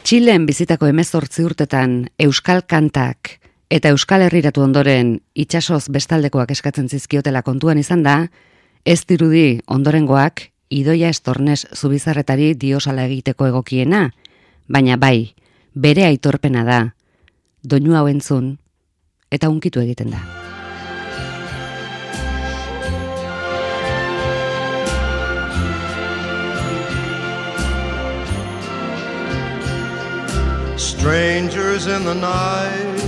Txilen bizitako 18 urtetan euskal kantak eta euskal herriratu ondoren itsasoz bestaldekoak eskatzen zizkiotela kontuan izan da, ez dirudi ondorengoak Idoia Estornes Zubizarretari diosala egiteko egokiena, baina bai, bere aitorpena da, doinu hau entzun eta hunkitu egiten da. Strangers in the night.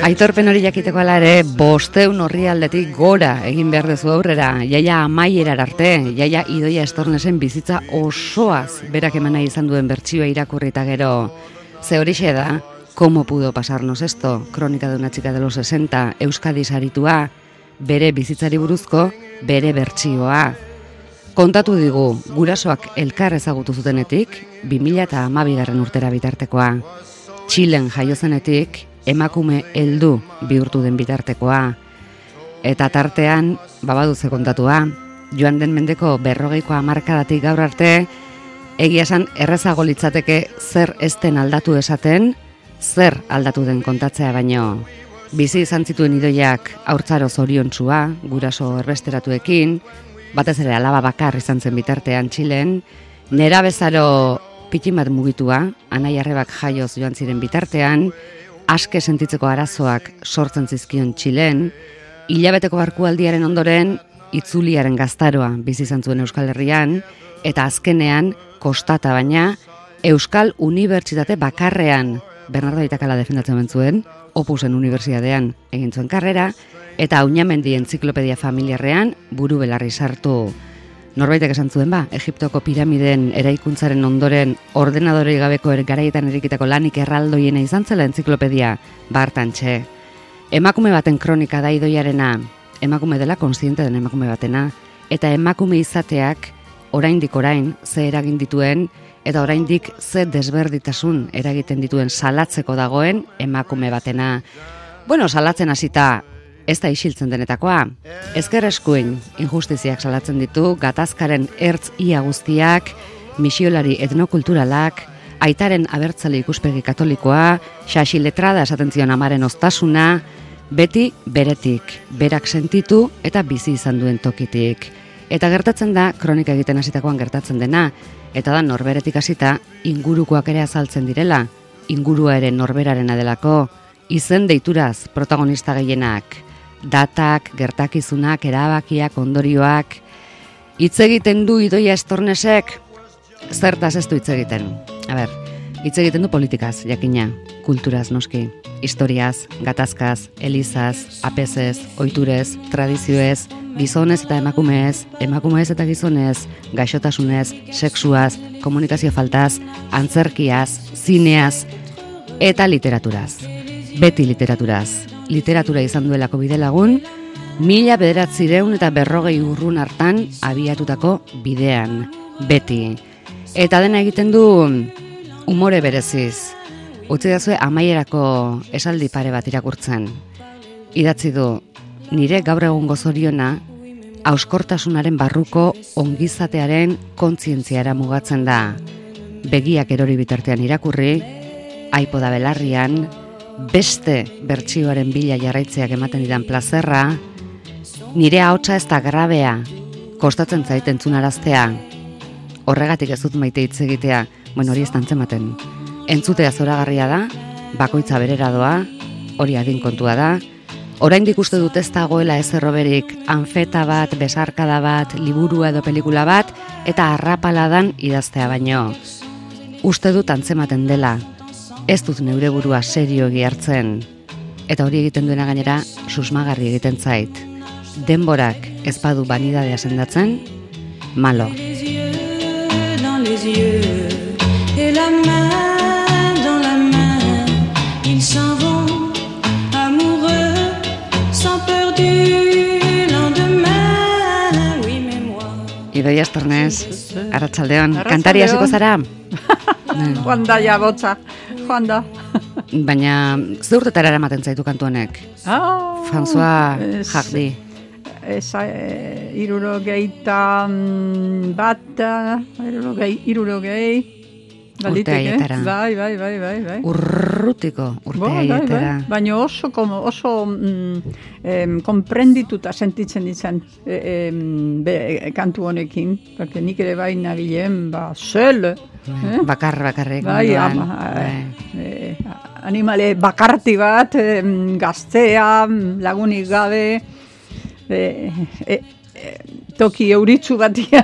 Aitorpen hori jakiteko ala ere, 500 orrialdetik gora egin behar dezu aurrera, jaia amaierar arte, jaia Idoia Estornesen bizitza osoaz berak emana izan duen bertsioa irakurri eta gero. Ze horixe da, ¿cómo pudo pasarnos esto? Kronika de una chica de los 60, Euskadi saritua, bere bizitzari buruzko, bere bertsioa. Kontatu digu, gurasoak elkar ezagutu zutenetik, 2012 urtera bitartekoa. Txilen jaio zenetik, emakume heldu bihurtu den bitartekoa. Eta tartean, babaduze kontatua, joan den mendeko 40ko hamarkadatik gaur arte, egia esan errezago litzateke zer ezten aldatu esaten, zer aldatu den kontatzea baino. Bizi izan zituen Idoiak haurtzaro zoriontsua, guraso erbesteratuekin, batez ere alaba bakar izan zen bitartean Txilen, nerabezaro pitin bat mugitua, anai arrebak jaioz joan ziren bitartean, aske sentitzeko arazoak sortzen zizkion Txilen, hilabeteko barkualdiaren ondoren, itzuliaren gaztaroa bizi izan zuen Euskal Herrian, eta azkenean, kostata baina, Euskal Unibertsitate bakarrean, Bernardo Aitakala defendatzen zuen, Opusen Unibertsitatean egin zuen karrera, eta Auñamendi Entziklopedia Familiarrean buru belarri sartu. Norbaitek esan zuen Egiptoko piramiden eraikuntzaren ondoren ordenadorei gabeko garaietan erikitako lanik erraldoiena izan zela entziklopedia, bartantxe. Emakume baten kronika da Idoiarena, emakume dela kontziente den emakume batena, eta emakume izateak oraindik orain ze eragin dituen, eta oraindik ze desberditasun eragiten dituen salatzeko dagoen emakume batena. Bueno, salatzen hasita ez da isiltzen denetakoa. Ezker eskuin injustiziak salatzen ditu, gatazkaren ertz ia guztiak, misiolari etnokulturalak, aitaren abertzale ikuspegi katolikoa, xaxi letrada esaten zion amaren ostasuna, beti beretik, berak sentitu eta bizi izan duen tokitik. Eta gertatzen da, kronika egiten hasitakoan gertatzen dena, eta da norberetik hasita ingurukoak ere azaltzen direla, ingurua ere norberarena delako, izen deituraz protagonista gehienak, datak, gertakizunak, erabakiak, ondorioak. Hitz egiten du Idoia Estornesek, zertaz ez du hitz egiten. Hitz egiten du politikaz, jakina, kulturaz noski, historiaz, gatazkaz, elizaz, apezez, ohiturez, tradizioez, gizonez eta emakumez, emakumez eta gizonez, gaixotasunez, sexuaz, komunikazio faltaz, antzerkiaz, zineaz eta literaturaz. Beti literaturaz. Literatura izan duelako bidelagun, 1940 urrun hartan abiatutako bidean, beti. Eta dena egiten du umore bereziz. Utzi dazue amaierako esaldi pare bat irakurtzen. Idatzi du, nire gaur egungo zoriona, hauskortasunaren barruko ongizatearen kontzientziara mugatzen da. Begiak erori bitartean irakurri, aipoda belarrian, beste bertsioaren bila jarraitzeak ematen didan plazerra, nire ahotsa ez da grabea, kostatzen zait entzunaraztea. Horregatik ez dut maite hitz egitea, hori ez dantzematen. Entzutea zoragarria da, bakoitza berera doa, hori adin kontua da. Oraindik uste dut ez dagoela ezerroberik anfeta bat, besarkada bat, liburua edo pelikula bat, eta arrapaladan idaztea baino. Uste dut antzematen dela, ez dut neure burua serioegi hartzen, eta hori egiten duena gainera susmagarri egiten zait. Denborak ez badu banidadea sendatzen, malo. Idoia Estornes, arratsaldeon, kantari hasiko zara? Joan da ja botza, joan da. Baina, ze urtetara eramaten zaitu kantu honek? François Hardy. Irurogeita bat, irurogei, urte haietara. Bai. Urrutiko urte haietara. Baina oso konprendituta sentitzen ditzen kantu honekin, porque nik ere bai nabilen, zel, bakarrik bai, animale bakarti bat, gaztea, lagunik gabe, toki euritzu batia.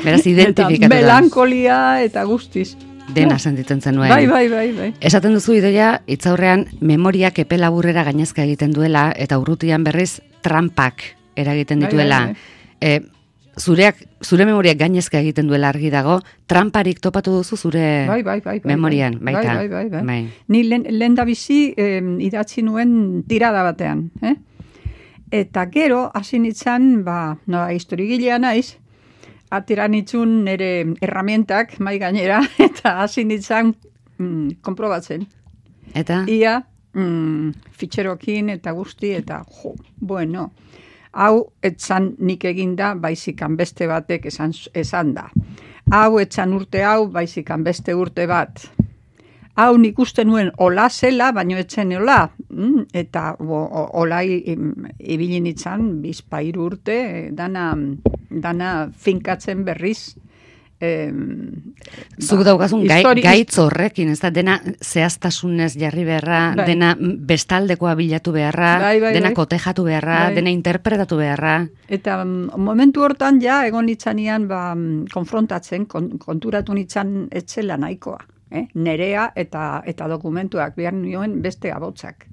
Beraz, identifikatu da. Melankolia eta guztiz. Dena sentitzen zenuen. Bai. Esaten duzu Idoia, hitzaurrean memoriak epe laburrera gainezka egiten duela, eta urrutian berriz trampak eragiten dituela. Zure memoriak gainezka egiten duela argi dago, tramparik topatu duzu zure memorian, baita. Bai. Ni lehen da bizi idatzi nuen tirada batean, Eta gero, hasi nintzen, historigilea naiz, atera nitzun nire herramientak, mai gainera, eta hasi nintzen konprobatzen. Eta? Ia, fitxerokin eta guzti, eta hau etzan nik eginda, baizikan beste batek esan da. Hau etzan urte hau, baizikan beste urte bat. Hau nik uste nuen ola zela, baino etzen ola. Eta olai ibili nintzen, bizpairu urte, dana finkatzen berriz. Zuk daukazun gaitz horrekin, ez da, dena zehaztasunez jarri beharra, dena bestaldekoa bilatu beharra, dena kotejatu beharra, dena interpretatu beharra. Eta momentu hortan egon nitzanean konfrontatzen, konturatu nitzan etzela nahikoa. Nerea eta dokumentuak behar nioen beste abotzak.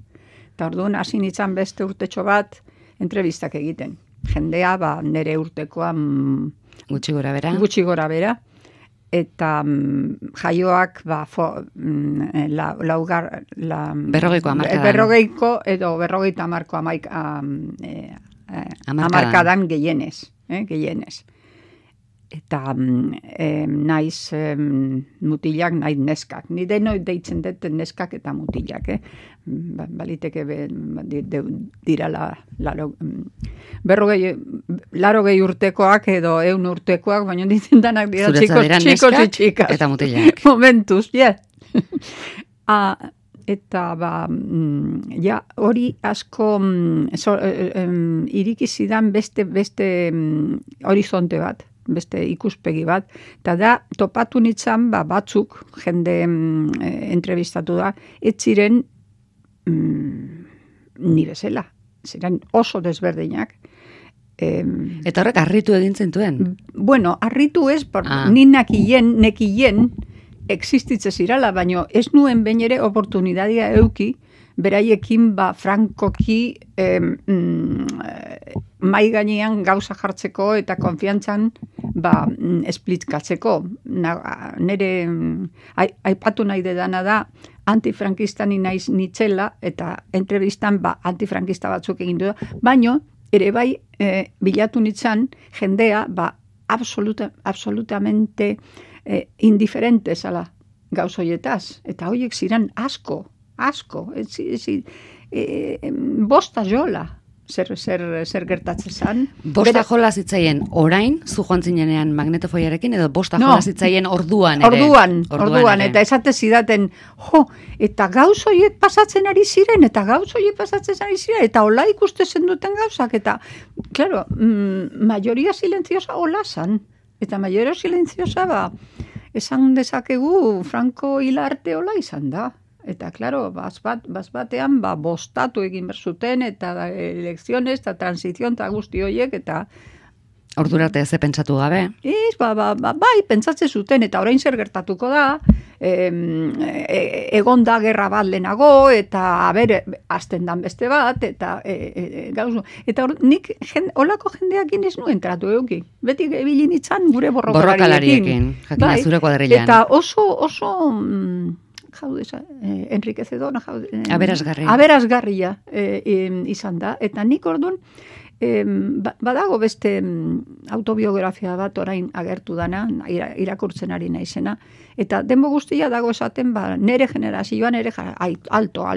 Eta orduan hasi nintzen beste urtetxo bat entrevistak egiten. Jendea nere urtekoa gutxi gora bera. Eta jaioak berrogeiko edo berrogeita hamarkadan gehienez. Eta naiz mutilak, naiz neskak. Ni denoi deitzen dut neskak eta mutilak. Baliteke dirala larogei urtekoak edo 100 urtekoak, baina ditzen danak dira txikos y txikas. Eta mutilak. Momentuz, Eta hori asko irikizidan beste horizonte bat. Beste ikuspegi bat, eta da topatu nintzen batzuk jende entrevistatu da, ez ziren ni bezala, ziren oso desberdinak. Eta horrek harritu egin zentuen? Bueno, harritu ez, ni nekien existitze zirala, baina ez nuen behin ere oportunidadia euki, beraiekin frankoki mai gainean gauza jartzeko eta konfiantzan esplikatzeko. Nere aipatu nahi dedana da antifrankista ni naiz nitzela eta entrevistan antifrankista batzuk egin du, baino ere bai bilatu nitzan jendea absolutamente indiferente zala gauzoietaz, eta horiek ziren asko, bosta jola zer gertatzen zan. Bosta jola zitzaien orain, zu joan zinenean magnetofoiarekin, edo bosta jola zitzaien orduan ere? Orduan, eta esate zidaten, eta gauzoiek pasatzen ari ziren, eta hola ikusten duten gauzak, eta, claro, mayoría silenciosa hola zan, eta mayoría silenciosa esan dezakegu Franco hilarte hola izan da. Eta, klaro, batean bostatu egin berzuten, eta elekzionez, eta transizion, eta guzti horiek, eta... Ordurarte ze pentsatu gabe? Bai, pentsatzen zuten, eta orain zer gertatuko da, egon da gerra bat lehenago, eta azten dan beste bat, eta gauzu. Eta nik holako jendeakin ez nuen tratu euki. Beti ebilin itzan gure borrokalariekin. Jakina zure kuadrilan. Eta oso enriquecedora, aberasgarria izan da. Eta nik orduan, badago beste autobiografia bat orain agertu dana, irakurtzen ari naizena, eta denbo guztia dago esaten, nere generazioan alto.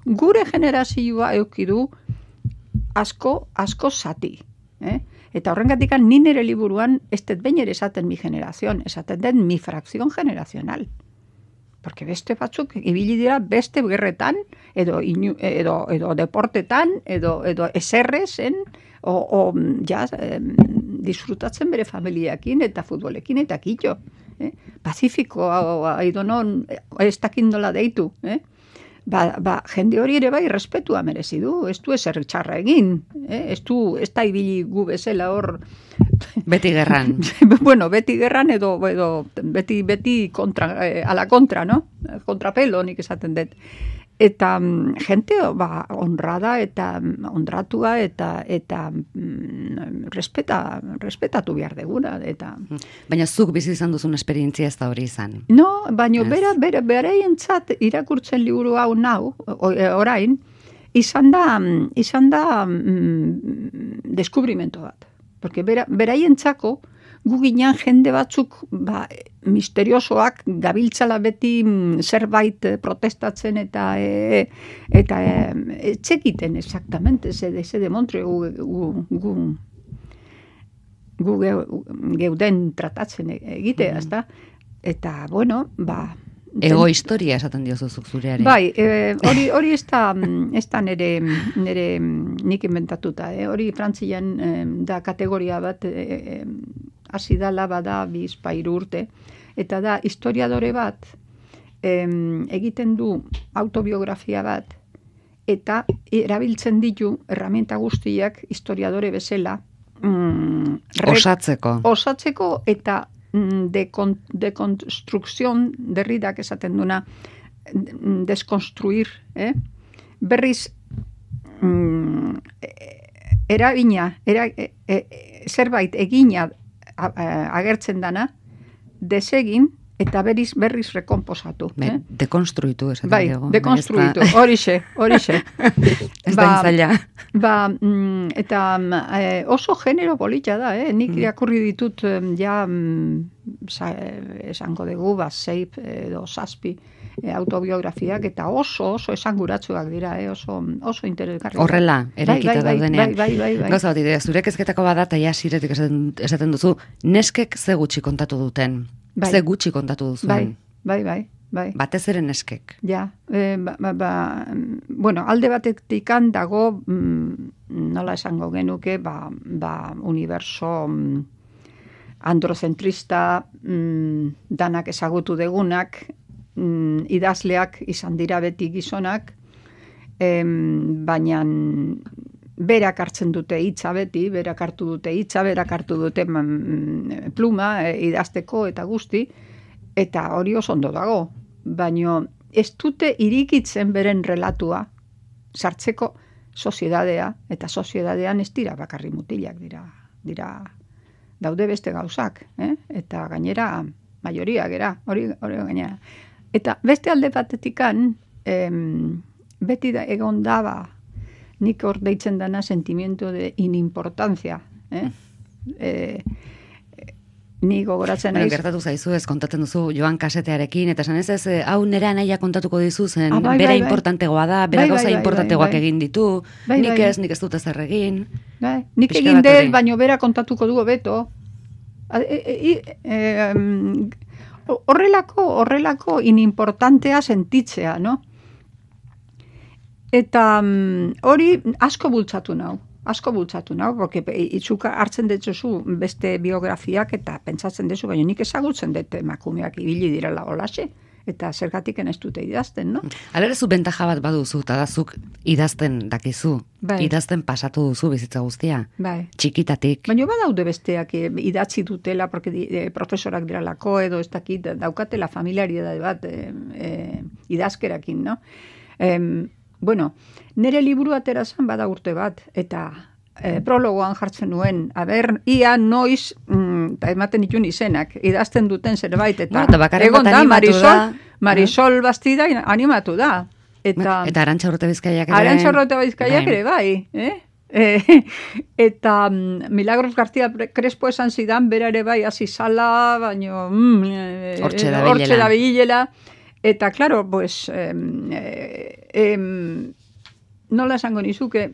Gure generazioa eukidu asko zati. Eta horrengatik ni nire liburuan, ez dut behin ere esaten mi generazion, esaten den mi fracción generacional. Porque beste batzuk ibili dira beste gerretan, edo deportetan, edo eserrezen, disfrutatzen bere familiakin eta futbolekin eta kitxo. Pazifiko, aidonon, ez dakindola deitu. Jende hori ere bai respetua merezi du, ez du ezer txarra egin, ez da ibili gu bezala hor... Beti gerran. Bueno, beti gerran edo beti kontra, ala kontra, no? Kontrapelo nik esaten dut. Eta gente honrada eta honratua eta respetatu behar deguna. Baina zuk bizi izan duzun esperientzia ez da hori izan. No, baina beraientzat irakurtzen liburu hau orain, izan da deskubrimento bat. Porque beraientzako gu ginen jende batzuk misteriosoak gabiltzala beti zerbait protestatzen eta etxekiten exactamente se demontre gu geuden tratatzen egitea, ezta? Eta, bueno, ego historia esaten diozuzuk zureari. Bai, hori ez da nire nik inventatuta. Hori Frantzian da kategoria bat hasi dala bada 2-3 urte. Eta da historiadore bat egiten du autobiografia bat eta erabiltzen ditu herramienta guztiak historiadore bezala osatzeko eta dekonstrukzion Derridak esaten duna deskonstruir, berriz zerbait egina agertzen dana desegin eta berriz rekomposatu. Dekonstruitu esaten dugu. Bai, dekonstruitu, horixe. Ez da intzaila. Eta oso genero politxa da, nik irakurri ditut esango dugu, 6 edo 7 autobiografiak, eta oso esanguratsuak dira, oso interesgarri. Horrela, eraikita daudenean. Bai. Gauza bat idea, zure kezketako bada, eta ja siretik esaten duzu, neskek ze gutxi kontatu duten. Bai. Ze gutxi kontatu duzuen. Bai. Batez ere neskek. Ja, bueno, alde batetikan dago, nola esango genuke, universo androzentrista, danak ezagutu degunak, idazleak izan dira beti gizonak, baina berak hartzen dute hitza beti, berak hartu dute pluma idazteko eta guzti, eta hori oso ondo dago. Baina ez dute irikitzen beren relatua sartzeko soziedadea, eta soziedadean ez dira bakarri mutilak dira daude beste gauzak, eta gainera majoria gera, hori gainera. Eta beste alde batetikan, beti egon daba, nik hor deitzen dana sentimiento de inimportancia. Ni gogoratzen naiz. Gertatu zaizu, ez kontatzen duzu Joan Kasetearekin, eta esan ez, hau nire anaia kontatuko dizu zen, bera importantegoa da, bera gauza importantegoak egin ditu, nik ez dut ezer egin. Nik egin dut, baino bera kontatuko du hobeto. Horrelako inimportantea sentitzea, no? Eta hori asko bultzatu nau, porque itzuka hartzen detzuzu beste biografiak eta pentsatzen dezu, baina nik ezagutzen dut emakumeak ibili direla holaxe, eta zergatik ez dute idazten, no? Alere zu bentaja bat baduzu, eta dazuk idazten dakizu, idazten pasatu duzu bizitza guztia, txikitatik. Baina badaude besteak idatzi dutela, porque profesorak diralako edo ez dakit daukatela familiaridade bat idazkerakin, no? Bueno, nire liburu atera zen bada urte bat, eta prologoan jartzen nuen, ia noiz, eta ematen ditun izenak, idazten duten zerbait, eta egon da, Marisol Bastida animatu da. Eta Arantxa Urrutia Bizkaiak ere bai. Eta Milagros García Crespo esan zidan, bera ere bai hasi zala, baino hortxe da bilela. Eta, claro, pues, nola esango nizuke,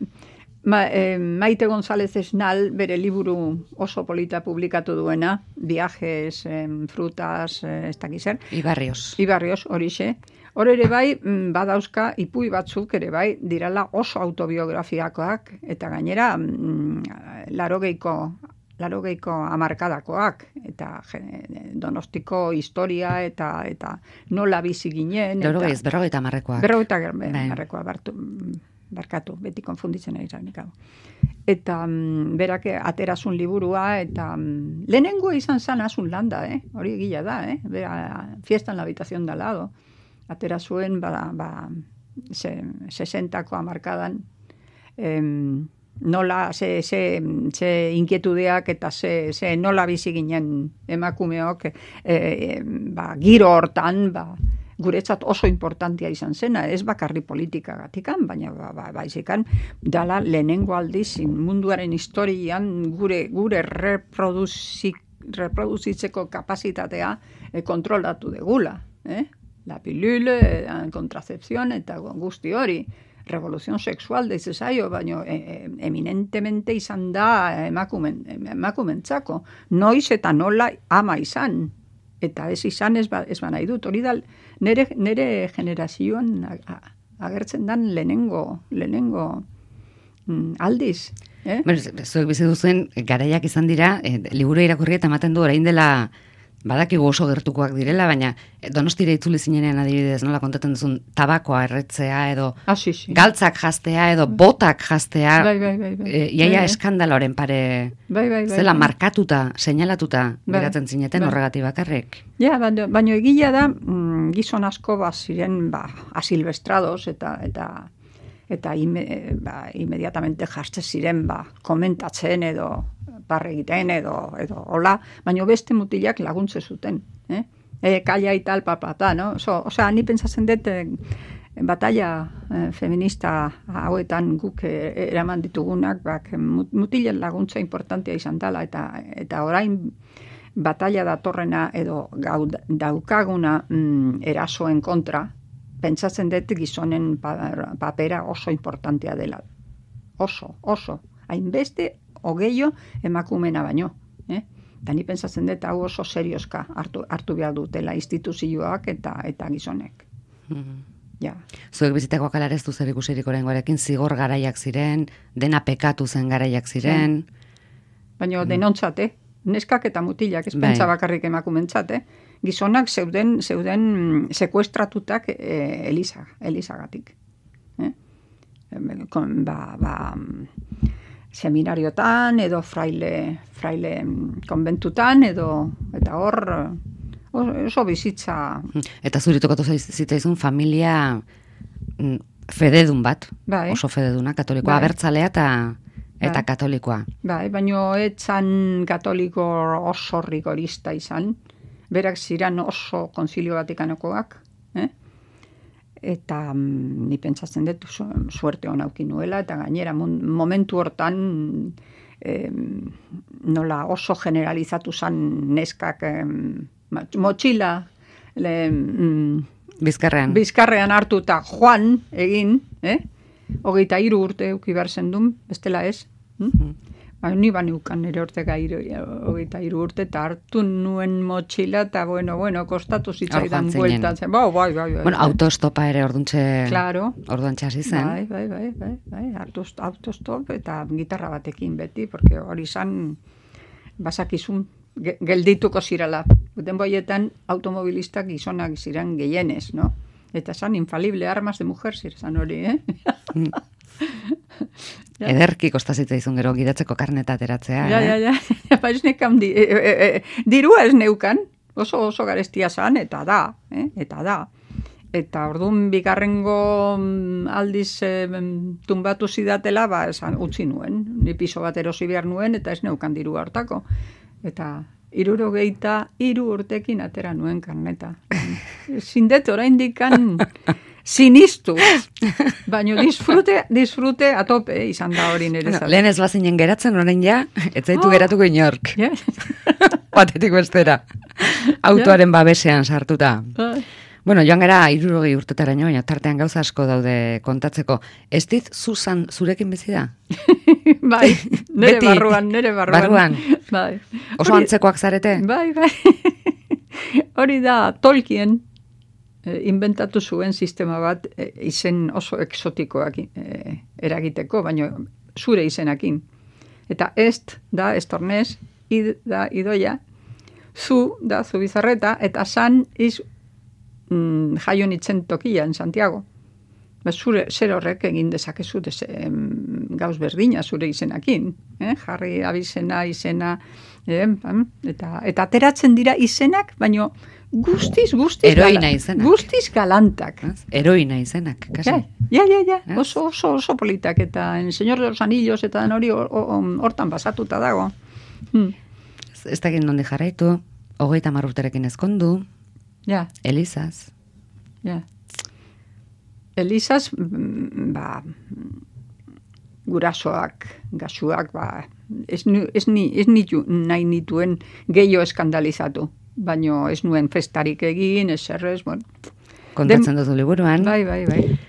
Maite González Esnal bere liburu oso polita publikatu duena, Viajes, frutas, ez dakiz zer. Ibarrios, horixe. Hor ere bai, badauzka ipuin batzuk ere bai, dirala oso autobiografiakoak, eta gainera, larogeiko hamarkadakoak, eta Donostiko historia, eta nola bizi ginen. Berrogeita hamarrekoak. Berrogeita hamarrekoak, barkatu, beti konfunditzen ari zainik. Eta berak aterazun liburua, eta lehenengoa izan zan asun landa, hori egila da, bera, fiesta en la habitación de al lado. Atera zuen, 60ko hamarkadan, nola, ze inkietudeak eta ze nola bizi ginen emakumeok, giro hortan, guretzat oso importantia izan zena, ez bakarri politikagatikan, baina baizikan, dala lehenengo aldiz munduaren historian gure reproduzitzeko kapasitatea kontrolatu degula, la pilule, kontracepción eta guzti hori, revolución sexual deize zaio, baina eminentemente izan da emakumentzako, noiz eta nola ama izan, eta ez izan ez nahi dut, hori da nere generazioan agertzen dan lehenengo aldiz. Zuek bizi duzuen garaiak izan dira, liburu irakurri eta ematen du orain dela badakigu oso gertukoak direla, baina Donostira itzuli zinenean adibidez, nola kontatzen duzun tabakoa erretzea edo galtzak jastea edo botak jastea, iaia eskandaloren pare zela markatuta, seinalatuta geratzen zineten horregatik bakarrik. Ja, baina egila da gizon asko ziren asilvestrados eta inmediatamente jaste ziren komentatzen edo barre egiten edo hola, baina beste mutilak laguntze zuten. Kaila y tal, no? Osea, ni pentsatzen dut batalla feminista hauetan guk eraman ditugunak, mutilen laguntza importantea izan dela, eta orain batalla datorrena edo daukaguna erasoen kontra, pentsatzen dut gizonen papera oso importantea dela. Oso. Hainbeste ogeio emakumena baino. Eta ni pentsatzen dut hau oso serioska hartu behar dutela instituzioak eta gizonek. Zuek bizitako akalarez du zer ikusirik oraingoarekin, zigor garaiak ziren, dena pekatu zen garaiak ziren. Baina denontzat, neskak eta mutilak, ez pentsa bakarrik emakumentzat, gizonak zeuden sekuestratutak Elizagatik. Seminariotan edo fraile konbentutan eta hor oso bizitza. Eta zuri tokatu zitzaizun familia fededun bat, oso fededuna, katolikoa, abertzalea eta katolikoa. Baina etzan katoliko oso rigorista izan, berak ziren oso konzilio vatikanokoak, eta ni pentsatzen dut suerte hona auki nuela, eta gainera momentu hortan nola oso generalizatu zan neskak motxila Bizkarrean hartu eta joan egin, 23 urte euki behar zendun, bestela ez. Ni baniukan nire ortega 23 urte, eta hartu nuen motxila, eta bueno, kostatu zitzaidan bueltatzen. Bai. Bueno, autostopa ere orduantxe hasi zen. Bai, autostop eta gitarra batekin beti, porque hori zan basakizun geldituko zirala. Guten boietan automobilistak gizonak ziren gehienez, no? Eta zan infalible armas de mujer zan hori, Ederki kostazitza izun gero gidatzeko karneta ateratzea. Ja. Ez nekan dirua ez neukan, oso garestia zan, eta da. Eta orduan bigarrengo aldiz tumbatu zidatela, esan utzi nuen. Ni piso bat erosi behar nuen, eta ez neukan dirua hortako. Eta 63 urtekin atera nuen karneta. Zindet oraindikan sinistu, baina disfrute atope izan da hori nire zara. Lehen ez bazinen geratzen orain ez zaitu geratuko inork. Batetik bestera. Autoaren babesean sartuta. Bueno, joan gara 60 urtetaraino, baina tartean gauza asko daude kontatzeko. Ez dit Susan zurekin bizi da? Bai, nere Beti. barruan. Barruan. Bai. Oso antzekoak zarete? Bai. Hori da, Tolkien inventatu zuen sistema bat izen oso exotikoak eragiteko, baina zure izenakin. Eta est da estornez, id da idoia, zu da zubizarreta, eta san iz jaio nitzen tokian, Santiago. Zure zer horrek egin dezakezu gauz berdina zure izenakin. Jarri abizena, izena, eta ateratzen dira izenak, baina guztiz Heroina izenak. Guztiz galantak. Heroina izenak, kasi. Ja. Oso politak, eta en Señor de los Anillos eta den hori hortan basatuta dago. Ez dakit nondi jarraitu, 30 urterekin ezkondu, Ja. Elizaz. Ja. Elizaz, gurasoak, gasuak, ez nahi nituen gehiago eskandalizatu, baino ez nuen festarik egin, ez errez, bueno. Kontatzen duzu liburuan. Bai.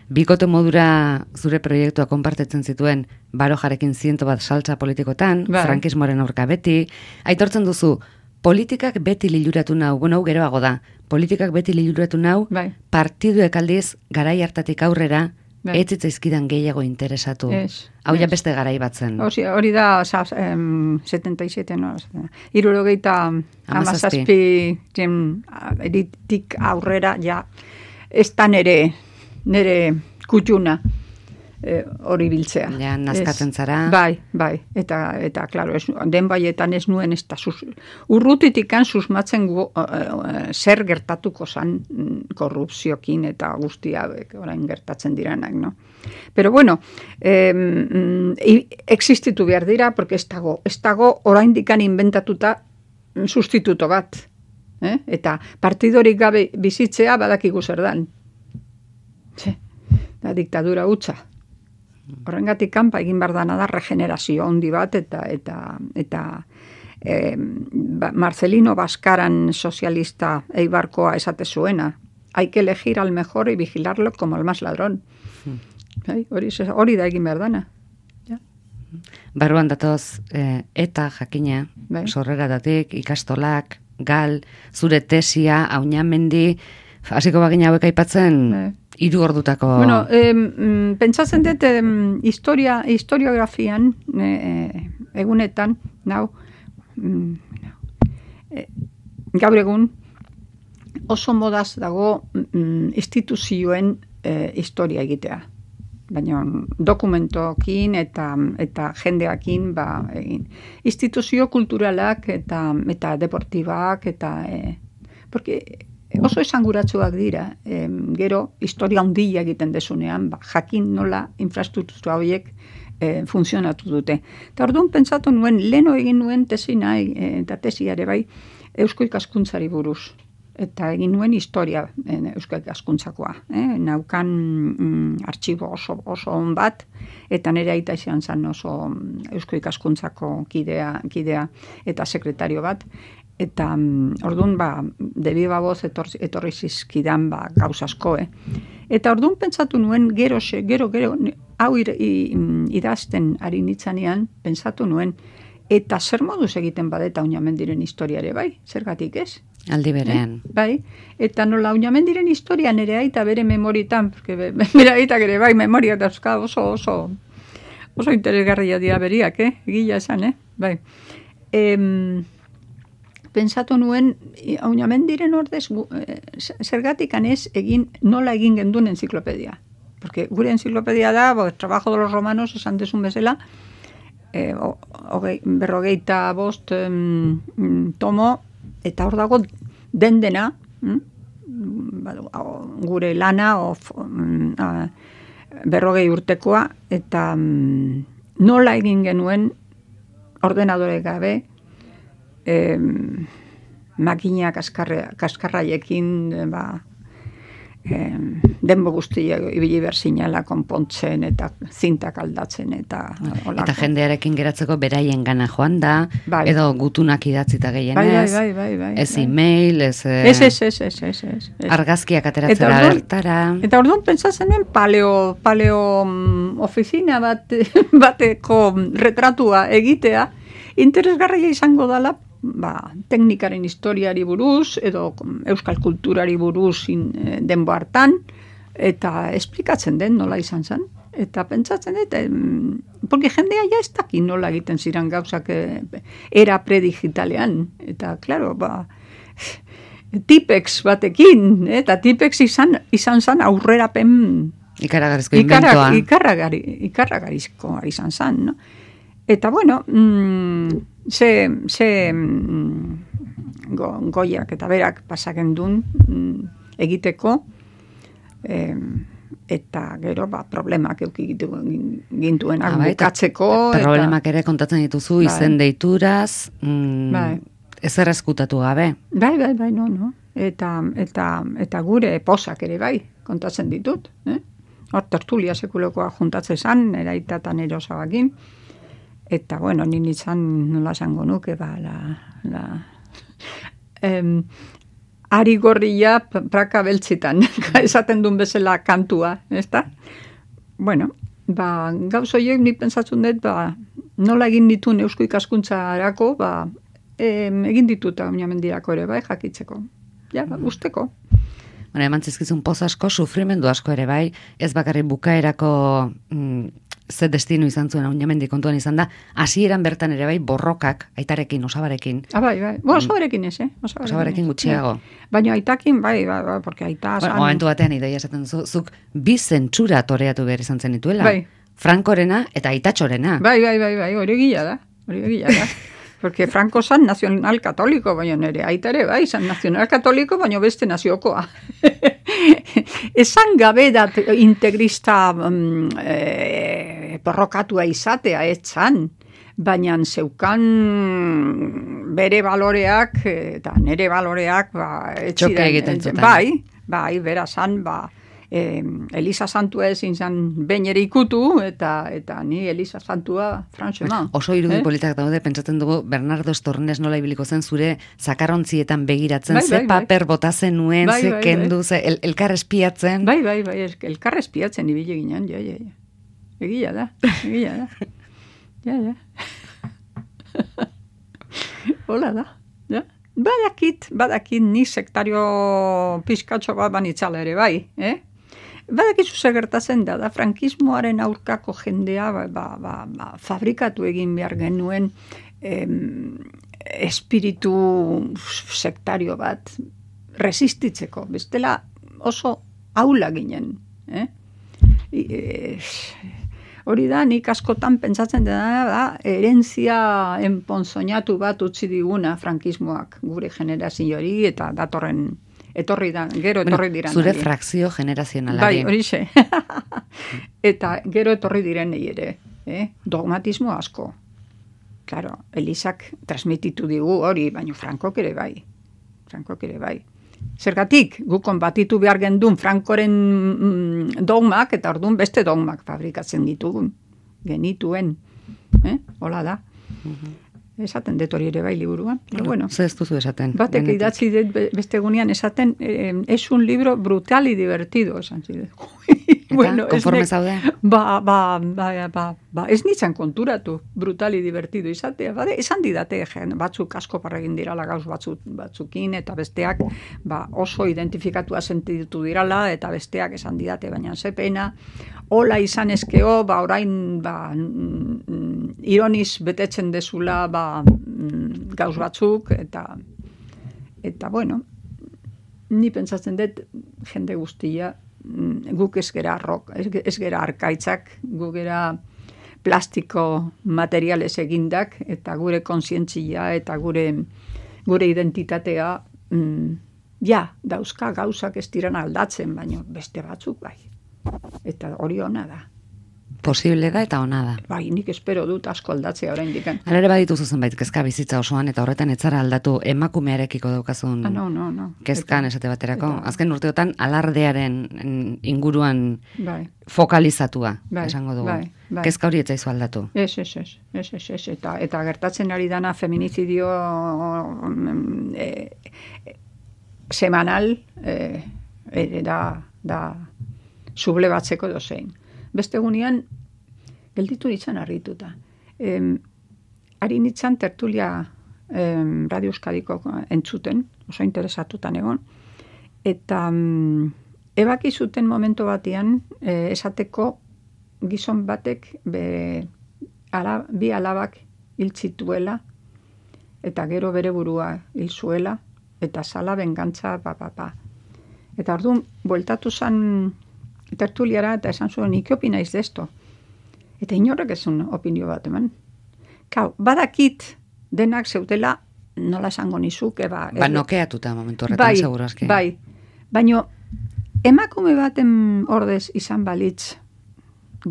Bikote modura zure proiektua konpartetzen zituen Barojarekin 101 saltza politikotan, Bai. frankismoaren aurka beti. Aitortzen duzu, politikak beti liluratu nau, bueno, geroago da, politikak beti liluratu nau, Bai. partiduek aldiz garai hartatik aurrera, Bai. ez zitzaizkidan gehiago interesatu. Ez, Hau ja ez. beste garai batzen. Hori da, 77, no? 77 eritik aurrera, ja, ez da nere kutxuna hori biltzea. Ja, nazkatzen zara. Bai, eta claro, den baietan ez nuen, ez da, urrutitikan susmatzen zer gertatuko zan korrupziokin eta guztia orain gertatzen diranak, no? Pero bueno, existitu behar dira, porque ez dago oraindikan inventatuta sustituto bat. Eta partidorik gabe bizitzea badakigu zer dan. Da diktadura hutsa. Horrengatik kanpa egin behar dana da regenerazio handi bat eta Marcelino Baskaran sozialista eibarkoa esate zuena. Hay que elegir al mejor y vigilarlo como al más ladrón. Hori da egin behar dana. Ja. Barruan datoz, eta jakina, Bai. sorreratatik, ikastolak, gal, zure tesia, Aunamendi, hasiko bagina hauek aipatzen, Bai. 3 ordutako... Bueno, pentsatzen dut historiografian egunetan, gaur egun oso modaz dago instituzioen historia egitea. Baina dokumentokin eta jendeakin egin. Instituzio kulturalak eta deportibak porque oso esanguratsuak dira, gero historia handia egiten desunean, jakin nola infrastruktura horiek funtzionatu dute. Eta orduan pentsatu nuen, leno egin nuen tesina eta tesiare bai, eusko ikaskuntzari buruz. Eta egin nuen historia eusko ikaskuntzakoa. Naukan artxibo oso on bat, eta nire aita izan zen oso eusko ikaskuntzako kidea eta sekretario bat. Eta orduan, debi baboz etorri zizkidan gauz asko, Eta orduan pentsatu nuen, gero, hau idazten ari nitzanean, pentsatu nuen, eta zer moduz egiten badeta Aunamendiren historiare, bai? Zergatik ez? Aldi berean. Bai, eta nola Aunamendiren historia nere aita bere memoritan, porque bere aitak ere bai memoria dauzka oso interesgarria dira beriak, Egila esan, bai. Pensatu nuen, Aunamendiren ordez, zergatik anez nola egin genduen enziklopedia. Porque gure enziklopedia da, trabajo de los romanos, esan desun bezala, 45 tomo, eta hor dago dena, gure lana, 40 urtekoa, eta nola egin genuen ordenadore gabe, makina kaskarraiekin denbo guztia ibili behar zinela konpontzen eta zintak aldatzen eta olako. Eta jendearekin geratzeko beraien gana joan da, Bai. edo gutunak idatzita gehienez, Bai. ez email, ez Ez. argazkiak ateratzera bertara. Eta orduan pentsatzen den paleo ofizina bateko retratua egitea, interesgarria izango dela, teknikaren historiari buruz, edo euskal kulturari buruz denbo hartan, eta esplikatzen den nola izan zen. Eta pentsatzen dut, porque jendea ja ez daki nola egiten ziren gauzak era predigitalean. Eta, klaro, Tipex batekin, eta Tipex izan zen aurrerapen Ikaragarrizko inventoa. Ikarragarizko izan zen, no? Eta, bueno, goiak eta berak pasaken duen egiteko, eta gero problemak eukigitu gintuenak bukatzeko. Problemak ere kontatzen dituzu, izen deituraz, ezer ezkutatu gabe. Bai, no. Eta gure posak ere bai, kontatzen ditut. Hor tertulia sekulokoa juntatzen zan, eraita eta nero zabakin. Eta, bueno, nintzen nola esango nuke, ari gorria praka beltzitan, esaten duen bezala kantua, ezta? Bueno, gauzoiek nik pentsatzen dut, nola egin dituen eusko ikaskuntzarako, egin ditut oinamendirako ere, bai, jakitzeko. Ja, usteko. Bueno, eman zizkizun poz asko, sufrimendu asko ere bai, ez bakarri bukaerako ze destino izan zuen oinamendi kontuan izan da, hasieran bertan ere bai borrokak, aitarekin, osabarekin. Bai. Osabarekin ez, Osabarekin gutxiago. Baina aitakin, bai, porque aita... Momentu batean idoia esaten duzu, zuk bi zentsura toreatu behar izan zen dituela. Bai. Frankorena eta aitatxorena. Bai, hori gila da. Porque Franco zan nazional katoliko, baina nire aita ere, bai, zan nazional katoliko, baina beste naziokoa. Esan gabe dat integrista porrokatua izatea, etzan, baina zeukan bere baloreak, eta nire baloreak, txoke egiten zuten. Bai, bera zan, Elisa Santua ezin zan behin ere ikutu, eta ni Elisa Santua franxeman. Oso irudi politak daude, pentsatzen dugu Bernardo Estornes nola ibiliko zen zure zakarrontzietan begiratzen, ze paper bota zenuen, ze kendu, ze elkar espiatzen. Bai, elkar espiatzen ibile ginen, ja. Egia da. Ja. Hola da, ja. Badakit ni sektario pizkatxo bat banitzala ere, bai, Badakizu gertatzen da frankismoaren aurkako jendea fabrikatu egin behar genuen espiritu sektario bat resistitzeko. Bestela oso aula ginen. Hori da, nik askotan pentsatzen da, herentzia enponzoñatu bat utzi diguna frankismoak gure generazioari eta datorren etorri diren. Zure frakzio generazionalari. Bai, horixe. Eta gero etorri direnei ere. Dogmatismo asko. Claro, Elisak transmititu digu hori, baina Frankok ere bai. Zergatik, gu konbatitu behar gendun Frankoren dogmak, eta orduan beste dogmak fabrikatzen genituen. Hola da. Esaten dut hori ere bai liburuan. Bueno, ze ez duzu esaten. Batek idatzi dut beste gunean esaten, es un libro brutal y divertido, esan zidet. Eta, konforme zaude? Ez nintzen konturatu, brutal y divertido izatea. Esan didate, batzuk asko parregin dirala gauz batzukin, eta besteak oso identifikatua sentitu dirala, eta besteak esan didate, baina zepena, hola izan ezkeo, orain ironiz betetzen dezula gauz batzuk, eta bueno, ni pentsatzen dut jende guztia, guk ez gera arkaitzak, guk gera plastiko materiales egindak, eta gure kontzientzia eta gure identitatea, dauzka gauzak ez diren aldatzen, baina beste batzuk bai. Eta hori ona da. Posible da eta ona da. Bai, nik espero dut asko aldatzea oraindik. Hala ere badituzu zenbait kezka bizitza osoan eta horretan etzara aldatu emakumearekiko daukazun No. kezkan esate baterako. Azken urteotan alardearen inguruan Bai. fokalizatua, Bai, esango dugu. bai. Kezka hori etzaizu aldatu. Ez. Eta gertatzen ari dana feminicidio semanal da sublebatzeko dozein. Beste egunean, gelditu nintzen harrituta. Ari nintzen tertulia Radio Euskadiko entzuten, oso interesatutan egon, eta ebaki zuten momentu batean esateko gizon batek bi alabak hil zituela, eta gero bere burua hil zuela, eta zala bengantza, Eta orduan, bueltatu zan tertuliara eta esan zuen, nik opinaiz de esto. Eta inorrek ezun opinio bat eman. Badakit denak zeutela nola esango nizuke. Nokeatuta momentu horretan, segurazki. Bai, baina emakume baten ordez izan balitz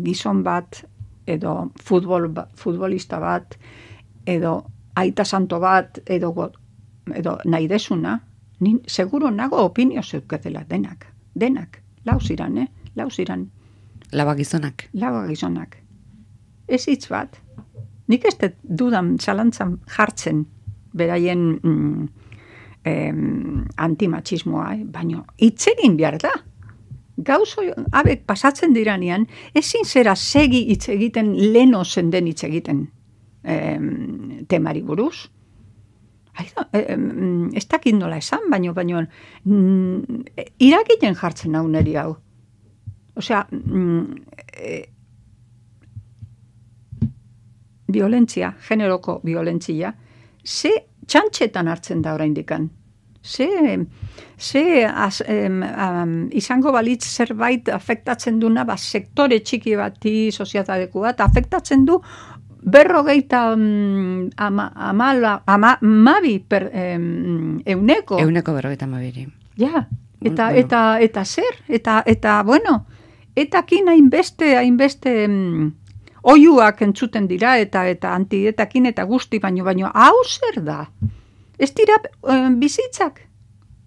gizon bat, edo futbolista bat, edo aita santo bat, edo nahi desuna, seguro nago opinio zeuketela denak. Lau ziran. Laba gizonak. Ez hitz bat. Nik ez dudan zalantzan jartzen beraien antimatxismoa, baina hitz egin behar da. Gauzo abek pasatzen diranean, ezin zera segi hitz egiten leno zenden hitz egiten temari buruz. Ez dakit nola esan, baino iragiten jartzen hau neri hau. Osea, violentzia, generoko violentzia, ze txantxetan hartzen da oraindikan. Izango balitz zerbait afektatzen duna, sektore txiki bati, sozietateku bat, afektatzen du 52 per euneko. Euneko 52. Ja, eta zer? Eta bueno, eta kin hainbeste oiuak entzuten dira, eta antietakin eta guzti, baino hau zer da? Ez dira bizitzak.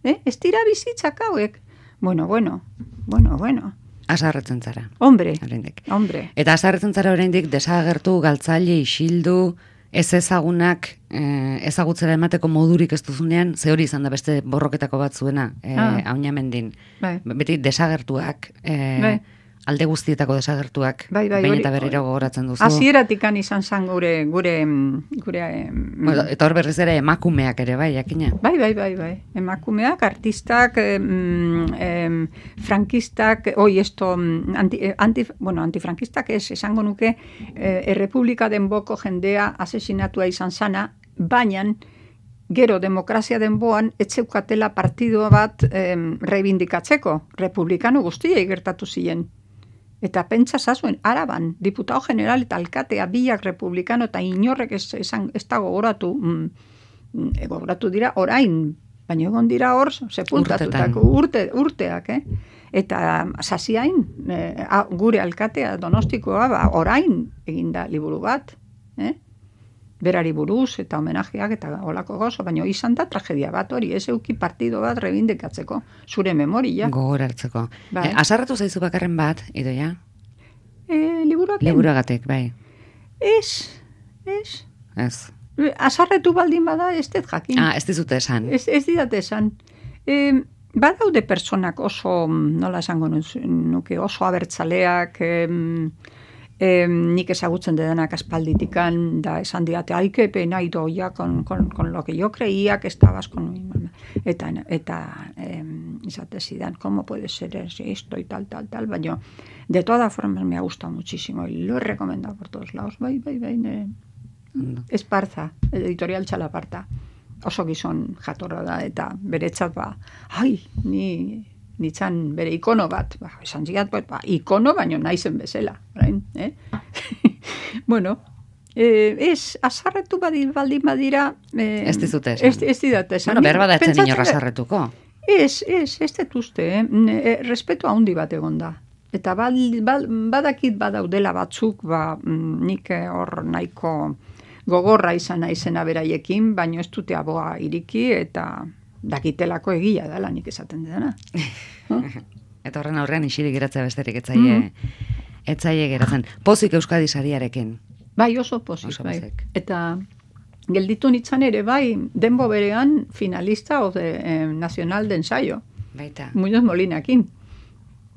Ez dira bizitzak hauek. Bueno. Asarretzen zara. Hombre. Eta asarretzen zara oraindik desagertu, galtzaile, isildu, ez ezagunak ezagutzera emateko modurik ez duzunean, ze hori izan da beste borroketako bat zuena, Aunamendin. Beti desagertuak, alde guztietako desagertuak, behin eta berriro gogoratzen duzu. Hasieratikan izan zen gure eta hor berriz ere emakumeak ere, bai, jakina? Bai. Emakumeak, artistak, frankistak, antifrankistak ez, esango nuke, Errepublika denboko jendea asesinatua izan zana, baina gero demokrazia denboan etzeukatela partido bat reibindikatzeko, republikano guztiei gertatu ziren. Eta pentsa zazuen, Araban, diputado general eta alkatea biak republikano eta inorrek ez da gogoratu, gogoratu dira orain, baina egon dira hor sepultatutako urteak, Eta zaziain, gure alkatea Donostikoa, orain eginda liburu bat, berari buruz eta homenajeak eta olako gozo, baina izan da tragedia bat hori, ez euki partido bat rebindikatzeko, zure memoria. Gogorartzeko. Asarratu zaizu bakarren bat, Idoia? Liburuagatik, bai. Ez. Asarretu baldin bada, ez dut jakin. Ez dizute esan. Ez didate esan. Badaude personak oso, nola esango nuke, oso abertzaleak, nik ezagutzen dedanak aspalditikan, da esan diate, que pena Idoia con lo que yo creía que estabas con mi mamá. Eta izate zidan, ¿cómo puede ser esto y tal, baina de todas formas me ha gustado muchísimo y lo he recomendado por todos lados. Bai. Esparza, editorial Txalaparta. Oso gizon jatorra da, eta beretzat nitzan bere ikono bat, esan ziat, ikono baino naizen bezala. Bueno, ez, asarretu baldin badira... Ez dizute esan. Ez didate esan. Bueno, behar badatzen inorra asarretuko. Ez dut uste, respetu handi bat egon da. Eta badakit badaudela batzuk, nik hor nahiko gogorra izan naizena beraiekin, baino ez dute aboa iriki eta dakitelako egia dela nik esaten dena. Eta horren aurrean isirik geratzea besterik etzaie geratzen. Pozik Euskadi sariarekin. Bai, oso pozik. Bai. Eta gelditu nintzen ere, bai, denbo berean finalista nacional de ensayo. Baita. Muñoz Molinakin.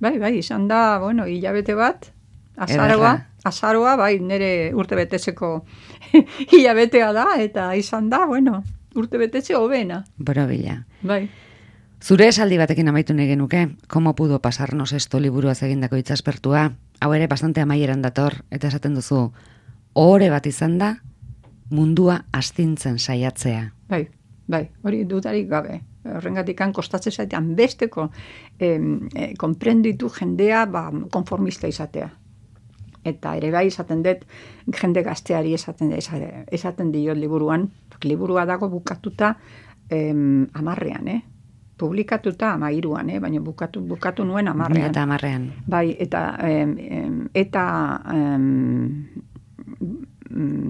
Bai, izan da, bueno, hilabete bat, azaroa, bai, nire urtebetetzeko hilabetea da, eta izan da, bueno, urtebetetze hobena. Borobila. Bai. Zure esaldi batekin amaitu nahi genuke, ¿cómo pudo pasarnos esto liburuaz egindako itzaspertua? Hau ere bastante amaieran dator, eta esaten duzu, ohore bat izan da, mundua astintzen saiatzea. Bai, hori dudarik gabe. Horrengatik kostatzen zaitean besteko konprenditu jendea konformista izatea. Eta ere bai izaten dut, jende gazteari esaten diot liburuan, liburua dago bukatuta 10ean, publikatuta 13ean, baina bukatu nuen 10ean. Eta 10ean. Bai, eta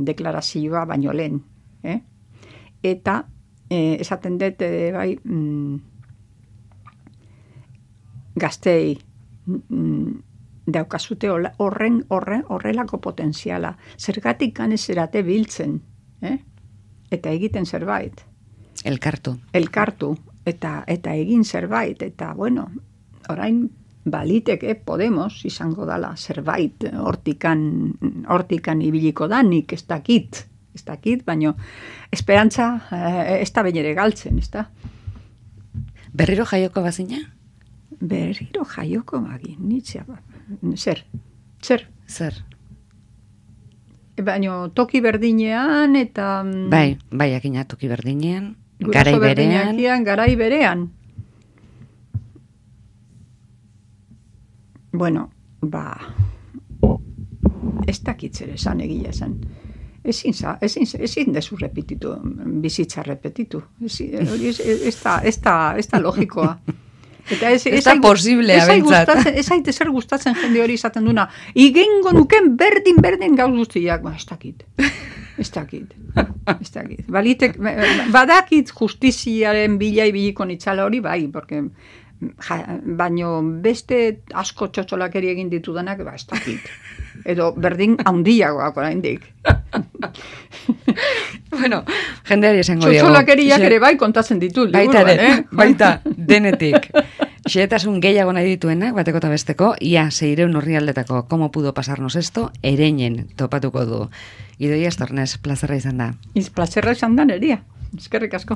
deklarazioa baino lehen. Eta esaten dut, bai, gaztei daukazute horrelako potenziala. Zergatik ganezerate biltzen, eta egiten zerbait. Elkartu, eta egin zerbait, eta, bueno, orain baliteke Podemos izango dala zerbait hortikan ibiliko da, nik ez dakit, baina esperantza ez da behin ere galtzen, ez da? Berriro jaioko bazina? Berriro jaioko bagin, nitzea. Zer? Baina toki berdinean eta... Bai, akina toki berdinean, garai berean. Bueno, ez dakit zer esan egia esan. Ezin dezu repetitu, bizitza repetitu. Ez da logikoa. Ez da posiblea, bentsat. Ez aite zer gustatzen jende hori izaten duna. Igengo nuken berdin gauz guztiak. Ez dakit. Badakit justiziaren biliko nitzala hori, bai, porque... baino beste asko txotxolakeri egin ditudanak, ez dakit. Edo berdin handiagoak oraindik. Bueno, jendeari esango diego. Txotxolakeriak ere bai kontatzen ditu. Baita, denetik. Xehetasun gehiago nahi dituenak, bateko eta besteko, ia 600 orrialdetako ¿cómo pudo pasarnos esto? Ereinen topatuko du. Idoia Estornes, plazerra izan da. Plazerra izan da, neria. Eskerrik asko.